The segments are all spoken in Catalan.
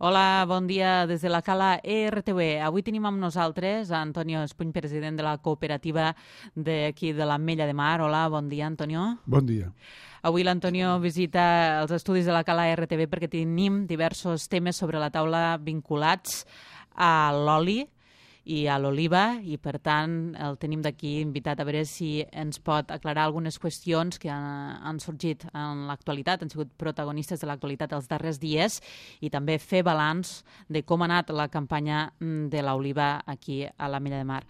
Hola, bon dia des de la Cala ERTV. Avui tenim amb nosaltres a Antonio Espuny, president de la cooperativa d'aquí de l'Ametlla de Mar. Hola, bon dia, Antonio. Bon dia. Avui l'Antonio visita els estudis de la Cala ERTV perquè tenim diversos temes sobre la taula vinculats a l'oli i a l'oliva, i per tant el tenim d'aquí invitat a veure si ens pot aclarar algunes qüestions que han sorgit en l'actualitat, han sigut protagonistes de l'actualitat els darrers dies, i també fer balanç de com ha anat la campanya de l'oliva aquí a l'Ametlla de Mar.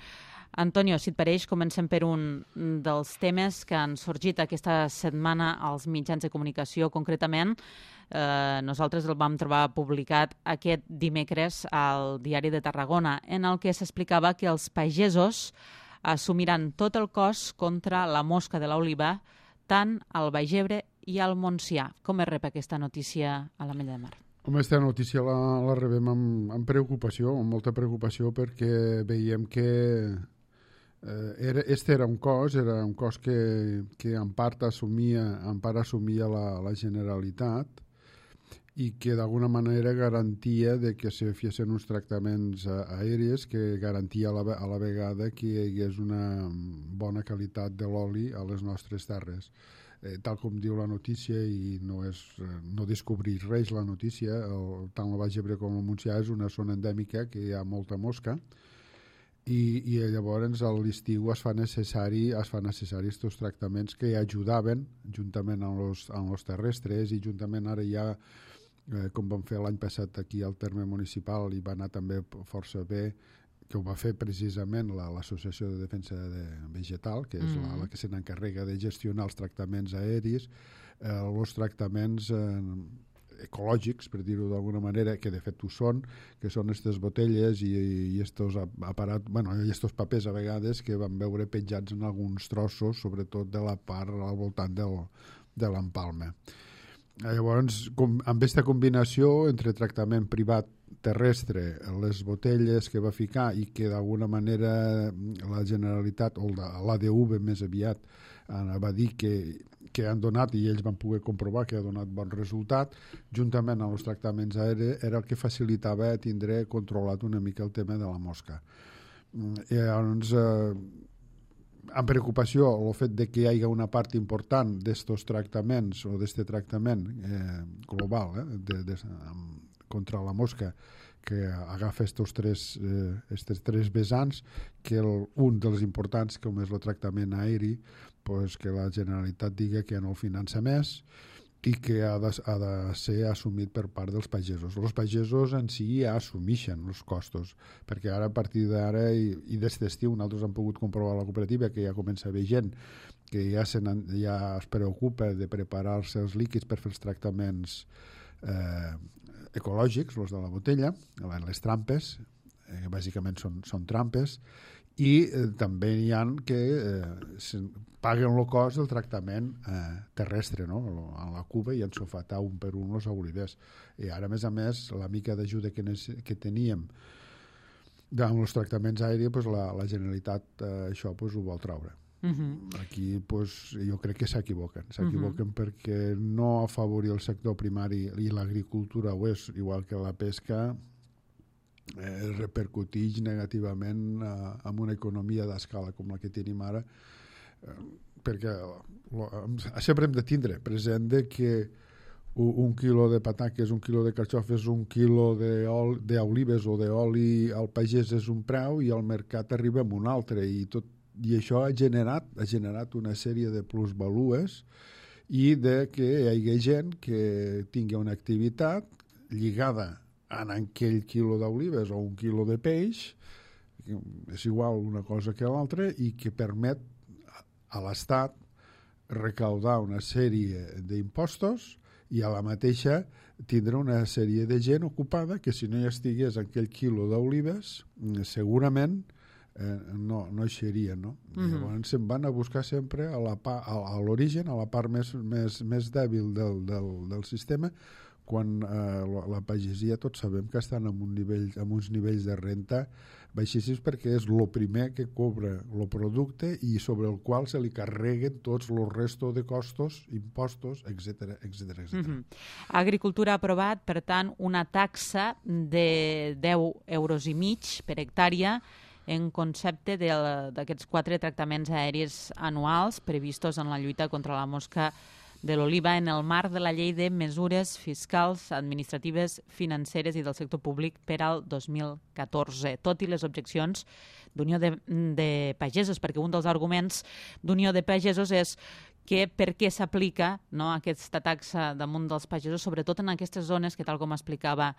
Antonio, si et pareix, comencem per un dels temes que han sorgit aquesta setmana als mitjans de comunicació. Concretament, nosaltres el vam trobar publicat aquest dimecres al Diari de Tarragona, en el que s'explicava que els pagesos assumiran tot el cost contra la mosca de l'oliva, tant al Baix Ebre i al Montsià. Com es rep aquesta notícia a l'Ametlla de Mar? Home, aquesta notícia la rebem amb preocupació, amb molta preocupació, perquè veiem que este era un cost que en part assumia la Generalitat, i que d'alguna manera garantia de que se fessin uns tractaments aèries, que garantia a la vegada que hi hagués una bona qualitat de l'oli a les nostres terres. Tal com diu la notícia, i no descobrir res la notícia, tant el Baix Ebre com el Montsià és una zona endèmica que hi ha molta mosca, i llavors a l'estiu es fa necessari aquests tractaments que ajudaven juntament amb els terrestres, i juntament ara ja, com vam fer l'any passat aquí al terme municipal, i va anar també força bé, que ho va fer precisament l'Associació de Defensa Vegetal, que és la que se n'encarrega de gestionar els tractaments aeris, els tractaments ecològics, per dir-ho d'alguna manera, que de fet ho són, que són aquestes botelles i estos aparats, i estos papers a vegades que vam veure penjats en alguns trossos, sobretot de la part al voltant de l'empalme. Llavors, amb aquesta combinació entre tractament privat terrestre, les botelles que va ficar, i que d'alguna manera la Generalitat, o l'ADV més aviat, va dir que han donat, i ells van poder comprovar que ha donat bon resultat, juntament amb els tractaments aèris, era el que facilitava tindre controlat una mica el tema de la mosca. I llavors, amb preocupació el fet de que hi hagi una part important d'estos tractaments, o d'este tractament global contra la mosca, que agafa estos tres vessants, que un dels importants, com és el tractament aeri, pues que la Generalitat diga que no el finança més, i que ha de ser assumit per part dels pagesos. Els pagesos en si ja assumeixen els costos, perquè ara, a partir d'ara i d'aquest estiu, nosaltres hem pogut comprovar a la cooperativa que ja comença a haver gent que ja es preocupa de preparar-se els líquids per fer els tractaments ecològics, els de la botella, les trampes, bàsicament són trampes, i també hi ha que paguen el cost del tractament terrestre, no? A la cuba, i ensofatar un per un els olivers. I ara, a més, la mica d'ajuda que teníem amb els tractaments aèris, pues, la Generalitat això ho vol treure. Aquí jo crec que s'equivoquen perquè no afavorir el sector primari, i l'agricultura ho és, igual que la pesca, repercuteix negativament en una economia d'escala com la que tenim ara, perquè sempre hem de tindre present que un quilo de pataques, un quilo de carxofes, un quilo d'olives o d'oli al pagès és un preu, i al mercat arriba amb un altre, i això ha generat una sèrie de plusvalues, i de que hi hagi gent que tingui una activitat lligada en aquell quilo d'olives o un quilo de peix, és igual una cosa que l'altra, i que permet a l'Estat recaudar una sèrie d'impostos, i a la mateixa tindre una sèrie de gent ocupada que, si no hi estigués aquell quilo d'olives, segurament no eixeria, no? Llavors se'n van a buscar sempre a l'origen, a la part més dèbil del sistema, quan la pagesia tots sabem que estan amb uns nivells de renta baixíssims perquè és el primer que cobra el producte i sobre el qual se li carreguen tots els restos de costos, impostos, etc. Agricultura ha aprovat, per tant, una taxa de 10,5 euros per hectàrea en concepte d'aquests 4 tractaments aèris anuals previstos en la lluita contra la mosca de l'oliva en el marc de la Llei de Mesures Fiscals, Administratives, Financeres i del Sector Públic per al 2014, tot i les objeccions d'Unió de Pagesos, perquè un dels arguments d'Unió de Pagesos és que per què s'aplica aquesta taxa damunt dels pagesos, sobretot en aquestes zones que, tal com explicava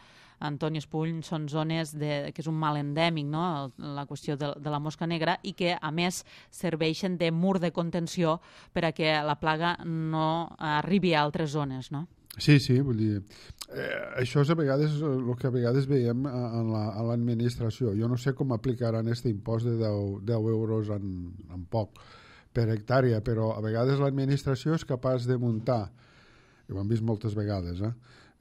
Antoni Espull, són zones que és un mal endèmic, la qüestió de la mosca negra, i que, a més, serveixen de mur de contenció per a que la plaga no arribi a altres zones, no? Sí, vull dir, això és a vegades el que a vegades veiem a l'administració. Jo no sé com aplicaran aquest impost de 10 euros en poc per hectàrea, però a vegades l'administració és capaç de muntar, i ho hem vist moltes vegades,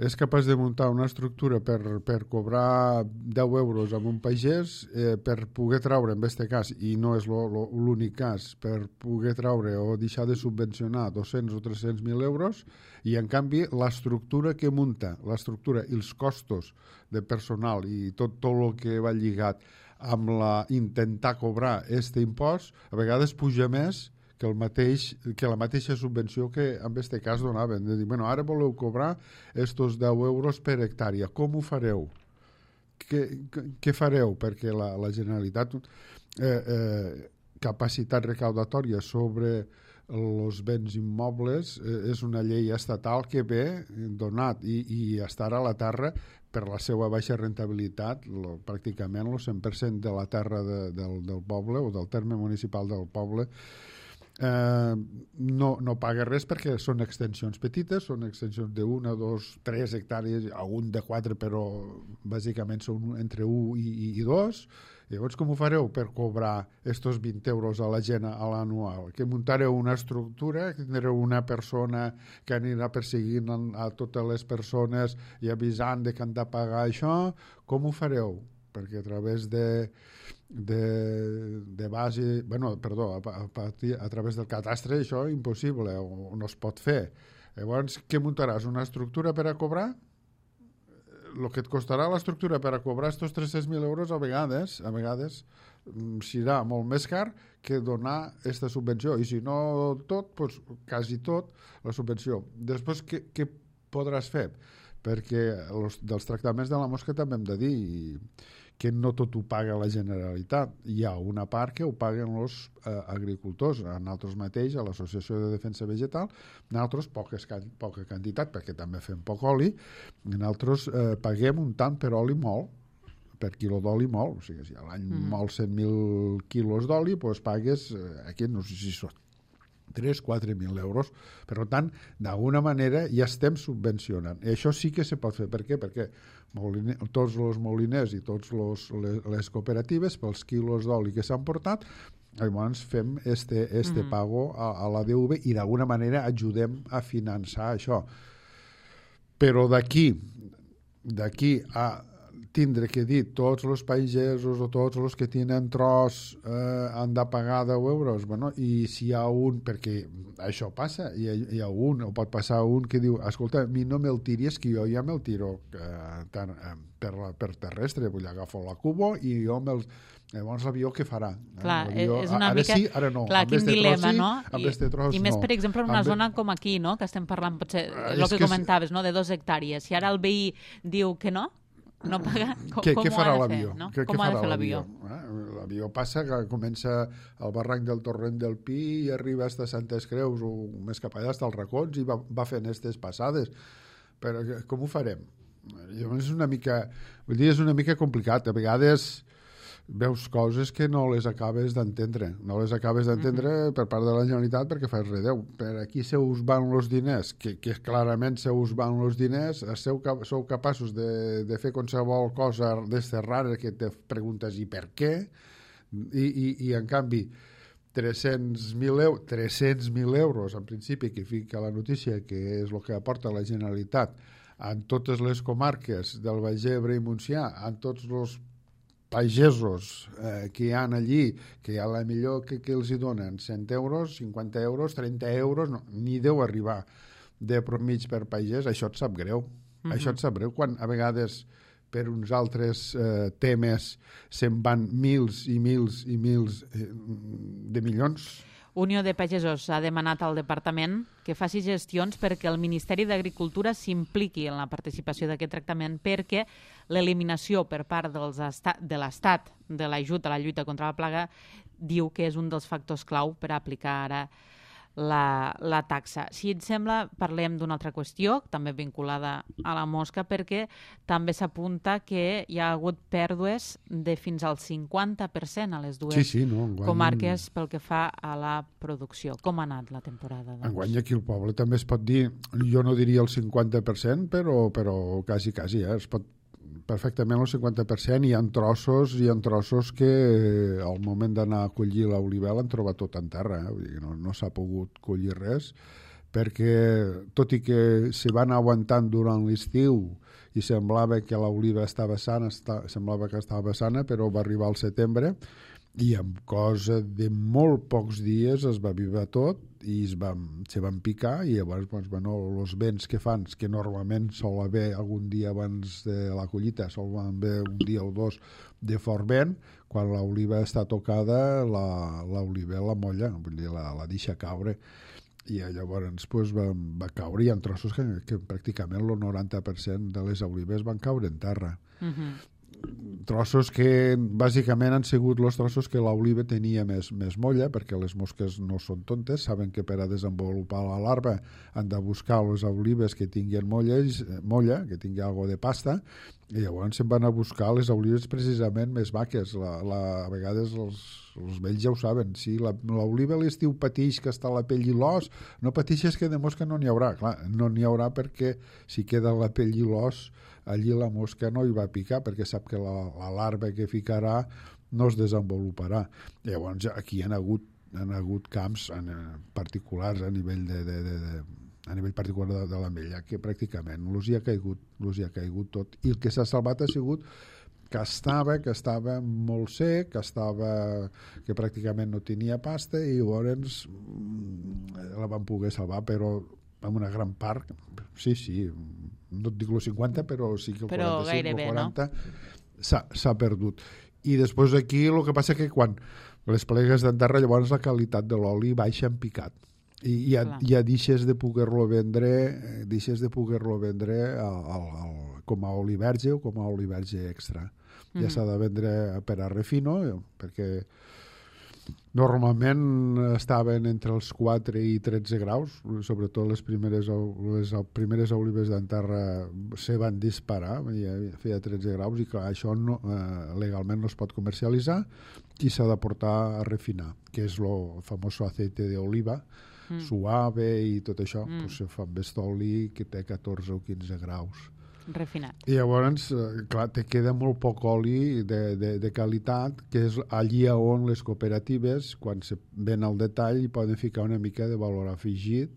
és capaç de muntar una estructura per cobrar 10 euros amb un pagès per poder traure, en aquest cas, i no és l'únic cas, per poder traure o deixar de subvencionar 200 o 300.000 euros, i en canvi l'estructura que munta, l'estructura i els costos de personal i tot el que va lligat amb intentar cobrar aquest impost, a vegades puja més que la mateixa subvenció que en aquest cas donaven. De dir, ara voleu cobrar estos 10 euros per hectàrea. Com ho fareu? Què fareu? Perquè la Generalitat capacitat recaudatòria sobre els béns immobles és una llei estatal que ve donat i estarà a la terra per la seva baixa rentabilitat, pràcticament el 100% de la terra del poble o del terme municipal del poble no paga res perquè són extensions petites, són extensions de 1, 2, 3 hectàrees, algun de 4, però bàsicament són entre 1 i 2. Llavors, com ho fareu per cobrar estos 20 euros a la gent a l'anual? Que muntareu una estructura, que tindreu una persona que anirà perseguint a totes les persones i avisant que han de pagar això? Com ho fareu? Perquè a través de base, a través del catastre això és impossible o no es pot fer. Llavors, què muntaràs? Una estructura per a cobrar? El que et costarà l'estructura per a cobrar aquests 300.000 euros a vegades serà molt més car que donar aquesta subvenció, i si no tot, doncs quasi tot la subvenció. Després, què podràs fer? Perquè dels tractaments de la mosca també hem de dir que no tot ho paga la Generalitat. Hi ha una part que ho paguen els agricultors, a nosaltres mateix, a l'Associació de Defensa Vegetal, nosaltres poca quantitat, perquè també fem poc oli, nosaltres paguem un tant per oli molt, per quilo d'oli molt, o sigui, si a l'any mol 100.000 quilos d'oli, doncs pagues, aquí no sé si són 3.000-4.000 euros. Per tant, d'alguna manera ja estem subvencionant. I això sí que se pot fer. Per què? Perquè tots els moliners i totes les cooperatives, pels quilos d'oli que s'han portat, llavors fem este pago a la DV i d'alguna manera ajudem a finançar això. Però d'aquí a tindre que dir tots els pagesos o tots els que tenen tros han de pagar 10 euros, i si hi ha un, perquè això passa, hi ha un, o pot passar un que diu, escolta, a mi no me'l tiris, que jo ja me'l tiro per terrestre, vull agafar la cubo i jo llavors l'avió què farà? Clar, és una ara mica... sí, ara no. Clar, quin dilema, no? I més, no. per exemple, en una zona com aquí, no?, que estem parlant, potser, el que comentaves, no?, de 2 hectàrees. Si ara el veí diu que no paga, què farà l'avió? No? Com ha de fer l'avió? L'avió passa, que comença al barranc del Torrent del Pi i arriba fins a Santes Creus o més cap allà, fins als racons, i va fent aquestes passades. Però com ho farem? És una mica complicat. A vegades veus coses que no les acabes d'entendre. No les acabes d'entendre per part de la Generalitat perquè fas redeu. Per aquí se us van els diners, que clarament se us van els diners, sou capaços de fer qualsevol cosa d'esta rara que te preguntes i per què, i en canvi 300.000 euros en principi que fica la notícia que és el que aporta la Generalitat en totes les comarques del Baix Ebre i Montsià, en tots els pagesos que hi ha allí, que a la millor que els hi donen 100 euros, 50 euros, 30 euros, no, ni deu arribar de mig per pagès, això et sap greu. Això et sap greu, quan a vegades per uns altres temes se'n van mils i mils i mils de milions. Unió de Pagesos ha demanat al departament que faci gestions perquè el Ministeri d'Agricultura s'impliqui en la participació d'aquest tractament, perquè l'eliminació per part de l'Estat de l'ajut a la lluita contra la plaga diu que és un dels factors clau per aplicar ara la taxa. Si et sembla, parlem d'una altra qüestió, també vinculada a la mosca, perquè també s'apunta que hi ha hagut pèrdues de fins al 50% a les dues comarques pel que fa a la producció. Com ha anat la temporada? Doncs? Enguany aquí al poble també es pot dir, jo no diria el 50%, però quasi, es pot perfectament el 50%. Hi ha trossos que al moment d'anar a collir l'oliva l'han trobat tot en terra, vull dir, no s'ha pogut collir res, perquè tot i que se van aguantant durant l'estiu i semblava que l'oliva estava sana, però va arribar al setembre i amb cosa de molt pocs dies es va vivar tot i se van picar i llavors els vents que fan, que normalment sol haver algun dia abans de la collita, sol haver un dia o dos de fort vent, quan l'oliva està tocada l'oliva la molla, vull dir, la deixa caure i llavors va caure i hi ha trossos que pràcticament el 90% de les olives van caure en terra. Trossos que bàsicament han sigut els trossos que l'oliva tenia més molla, perquè les mosques no són tontes, saben que per a desenvolupar la larva han de buscar les olives que tinguin molla, que tingui algo de pasta, i llavors se'n van a buscar les olives precisament més maques. A vegades els vells ja ho saben, si l'oliva a l'estiu patix que està la pell i l'os, no patixes que de mosca no n'hi haurà. Clar, no n'hi haurà perquè si queda la pell i l'os allí la mosca no hi va picar perquè sap que la larva que ficarà no es desenvoluparà. Llavors aquí han hagut camps particulars a nivell particular de l'ametlla que pràcticament els hi ha caigut tot, i el que s'ha salvat ha sigut que estava molt sec, que pràcticament no tenia pasta i llavors la van poder salvar, però amb una gran part, sí, no et dic el 50, però sí que el 45 o 40 s'ha perdut. I després aquí el que passa que quan les plegues d'enterra, llavors la qualitat de l'oli baixa en picat. I ja deixes de poder-lo vendre com a oli verge o com a oli verge extra. Ja s'ha de vendre per a refino, perquè normalment estaven entre els 4 i 13 graus, sobretot les primeres olives d'enterra se van disparar, feia 13 graus, i clar, això legalment no es pot comercialitzar i s'ha de portar a refinar, que és el famós aceite d'oliva, suave i tot això, se fa amb oli que té 14 o 15 graus. Refinat. I llavors, clar, te queda molt poc oli de qualitat, que és allí on les cooperatives, quan se ven al detall, hi poden ficar una mica de valor afegit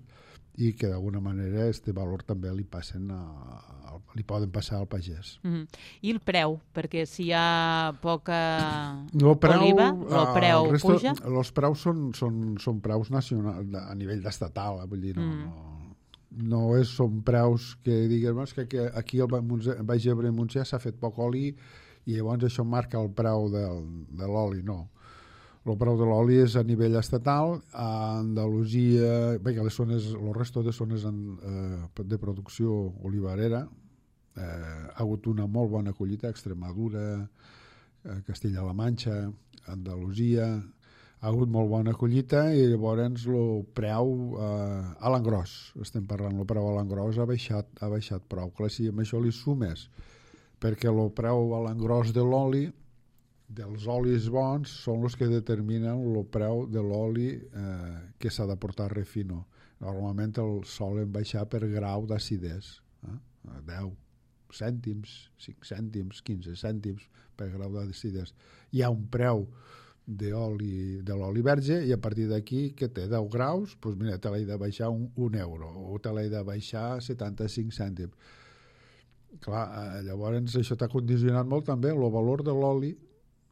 i que d'alguna manera aquest valor també li poden passar al pagès. I el preu? Perquè si hi ha poca oliva, el preu puja? Els preus són preus nacionals, a nivell estatal, vull dir, no són preus que diguem que aquí al Baix Ebre i Montsià s'ha fet poc oli i llavors això marca el preu de l'oli, no. El preu de l'oli és a nivell estatal. A Andalusia, el resto de zones de producció olivarera ha hagut una molt bona collita, Extremadura, Castilla-La Manxa, Andalusia, ha hagut molt bona collita i llavors el preu a l'engròs, estem parlant, el preu a l'engròs ha baixat prou. Clar, si amb això li sumes, perquè el preu a l'engròs de l'oli, dels olis bons, són els que determinen el preu de l'oli que s'ha de portar a refino. Normalment el solen baixar per grau d'acidesa, 10 cèntims, 5 cèntims, 15 cèntims per grau d'acidesa. Hi ha un preu de l'oli verge i a partir d'aquí que té 10 graus, doncs mira, te l'he de baixar un euro o te l'he de baixar 75 cèntims. Clar, llavors això t'ha condicionat molt també el valor de l'oli,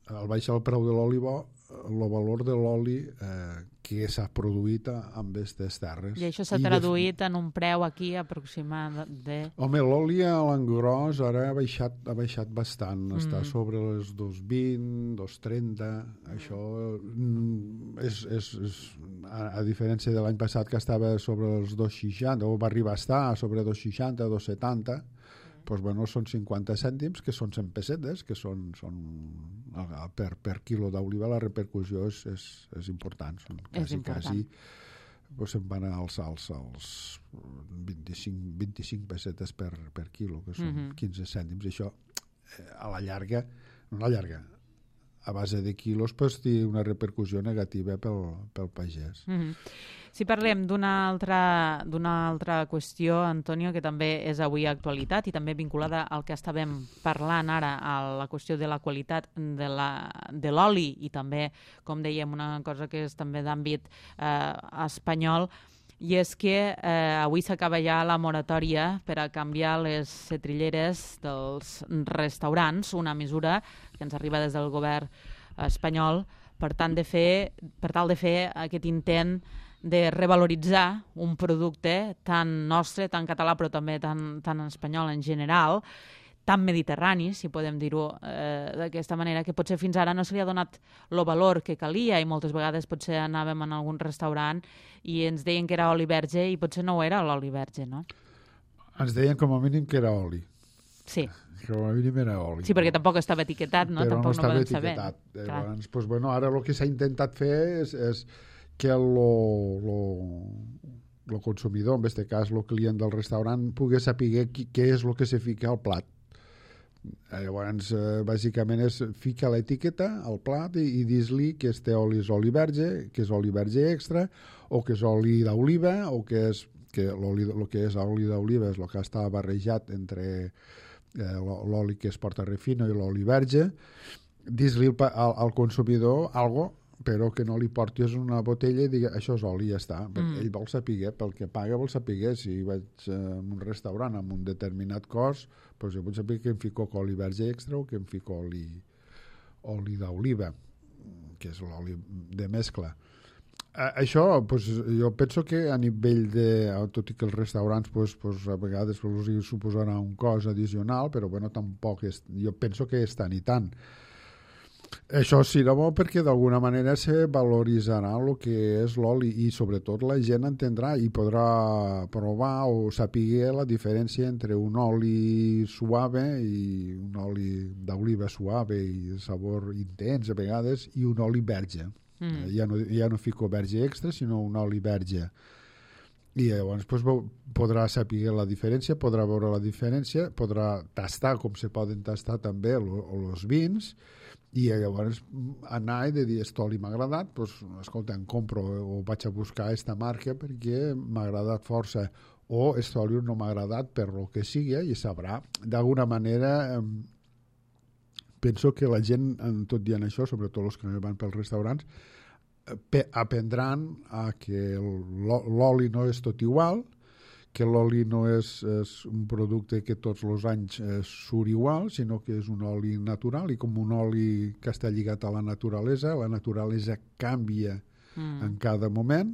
al baixar el preu de l'oli bo, el valor de l'oli que s'ha produït amb aquestes terres. I això s'ha traduït en un preu aquí aproximat de... Home, l'oli a l'engròs ara ha baixat bastant, està sobre les 2,20, 2,30, això és a diferència de l'any passat que estava sobre els 2,60, o va arribar a estar sobre 2,60, 2,70, doncs, bueno, són 50 cèntims, que són 100 pessetes, que són per quilo d'oliva la repercussió és important. Són quasi, doncs se'n van als 25 pessetes per quilo, que són 15 cèntims. Això, a la llarga, a base de quilos, doncs, té una repercussió negativa pel pagès. Si parlem d'una altra qüestió, Antonio, que també és avui actualitat i també vinculada al que estàvem parlant ara, a la qüestió de la qualitat de l'oli i també, com dèiem, una cosa que és també d'àmbit espanyol, i és que avui s'acaba ja la moratòria per a canviar les setrilleres dels restaurants, una mesura que ens arriba des del govern espanyol per tal de fer aquest intent de revaloritzar un producte tan nostre, tan català, però també tan espanyol en general, tan mediterrani, si podem dir-ho d'aquesta manera, que potser fins ara no se li ha donat el valor que calia i moltes vegades potser anàvem en algun restaurant i ens deien que era oli verge i potser no ho era l'oli verge, no? Ens deien com a mínim que era oli. Sí. Com a mínim era oli. Sí, perquè tampoc estava etiquetat, no? Però tampoc no estava etiquetat. Saber. Llavors, doncs, bueno, ara el que s'ha intentat fer és que el consumidor, en aquest cas el client del restaurant, pugui saber què és el que se fica al plat. Llavors, bàsicament és ficar l'etiqueta al plat i dir-li que este oli és oli verge, que és oli verge extra, o que és oli d'oliva, o que el que és oli d'oliva és el que està barrejat entre l'oli que es porta a refino i l'oli verge. Dir-li al consumidor algo, però que no li portis una botella i digui això és oli i ja està. Ell vol saber, pel que paga vol saber. Si vaig a un restaurant amb un determinat cost, doncs jo vull saber que em fico oli verge extra o que em fico oli d'oliva, que és l'oli de mescla. Això, doncs, jo penso que a nivell tot i que els restaurants a vegades els suposarà un cost addicional, però bueno, tampoc jo penso que és tant i tant. Això serà bo perquè d'alguna manera se valoritzarà el que és l'oli i sobretot la gent entendrà i podrà provar o saber la diferència entre un oli suave i un oli d'oliva suave i de sabor intens a vegades i un oli verge. Ja no fico verge extra sinó un oli verge. I llavors podrà saber la diferència, podrà veure la diferència, podrà tastar com se poden tastar també els vins i llavors anar i de dir aquest oli m'ha agradat, doncs escolta, em compro o vaig a buscar aquesta marca perquè m'ha agradat força, o aquest oli no m'ha agradat per lo que sigui i sabrà. D'alguna manera penso que la gent, tot dient això, sobretot els que van pels restaurants, aprendran a que l'oli no és tot igual, que l'oli no és un producte que tots els anys surt igual, sinó que és un oli natural i com un oli que està lligat a la naturalesa canvia en cada moment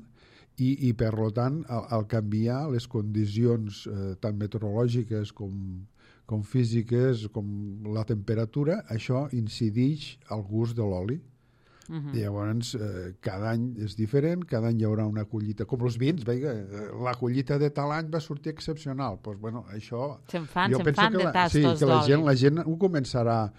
i per tant, al canviar les condicions tant meteorològiques com físiques, com la temperatura, això incideix al gust de l'oli. I llavors cada any és diferent, cada any hi haurà una collita com els vins, la collita de tal any va sortir excepcional, doncs bueno, això se'n fan de tastos d'oli. Sí, que la gent ho començarà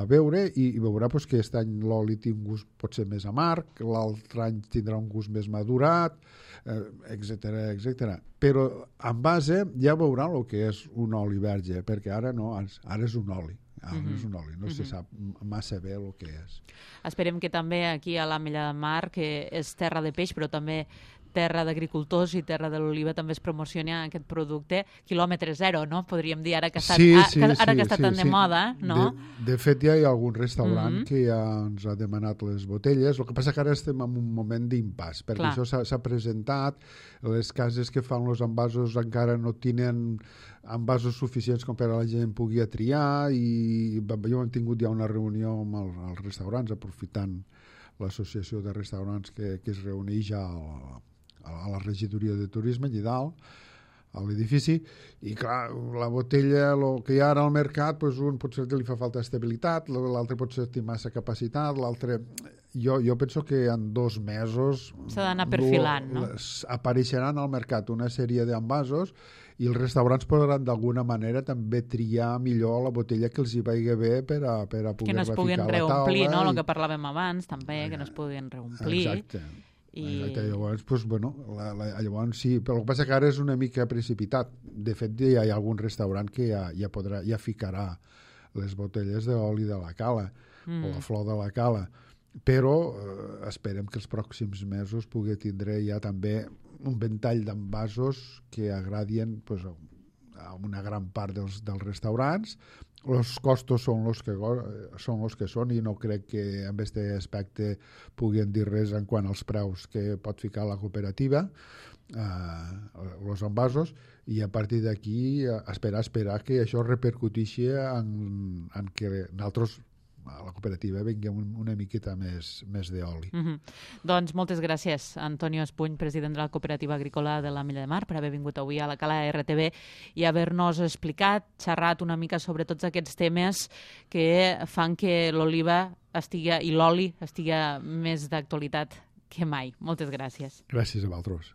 a veure i veurà que aquest any l'oli té un gust potser més amarg, l'altre any tindrà un gust més madurat, etc. Però en base ja veurà el que és un oli verge, perquè ara no, ara és un oli. És un oli, no se sap massa bé el que és. Esperem que també aquí a l'Ametlla de Mar, que és terra de peix, però també terra d'agricultors i terra de l'oliva també es promociona aquest producte quilòmetre zero, no? Podríem dir, ara que està, tan de moda, no? De fet, ja hi ha algun restaurant que ja ens ha demanat les botelles. El que passa que ara estem en un moment d'impàs, perquè això s'ha presentat, les cases que fan els envasos encara no tenen envasos suficients com per a la gent pugui triar, i jo hem tingut ja una reunió amb els restaurants, aprofitant l'associació de restaurants que es reuneix a la regidoria de turisme allà dalt, a l'edifici, i clar, la botella, el que hi ha ara al mercat, doncs un potser li fa falta estabilitat, l'altre potser té massa capacitat, l'altre... Jo penso que en 2 mesos s'ha d'anar perfilant, no? Apareixeran al mercat una sèrie d'envasos i els restaurants podran d'alguna manera també triar millor la botella que els hi vagi bé per a poder-la ficar a la taula. Que no es puguin reomplir, no? El que parlàvem abans, també, que no es puguin reomplir. Exacte. Llavors, llavors sí, però el que passa que ara és una mica precipitat. De fet, hi ha algun restaurant que ja ficarà les botelles d'oli de la cala o la flor de la cala, però esperem que els pròxims mesos pugui tindre ja també un ventall d'envasos que agradien a una gran part dels restaurants. Els costos són els que són i no crec que en aquest aspecte puguin dir res en quant als preus que pot ficar la cooperativa, els envasos, i a partir d'aquí esperar que això repercuteixi en que nosaltres a la cooperativa vinguem una miqueta més d'oli. Doncs moltes gràcies, Antonio Espuny, president de la Cooperativa Agrícola de l'Ametlla de Mar, per haver vingut avui a la Cala RTV i haver-nos explicat, xerrat una mica sobre tots aquests temes que fan que l'oliva i l'oli estigui més d'actualitat que mai. Moltes gràcies. Gràcies a vosaltres.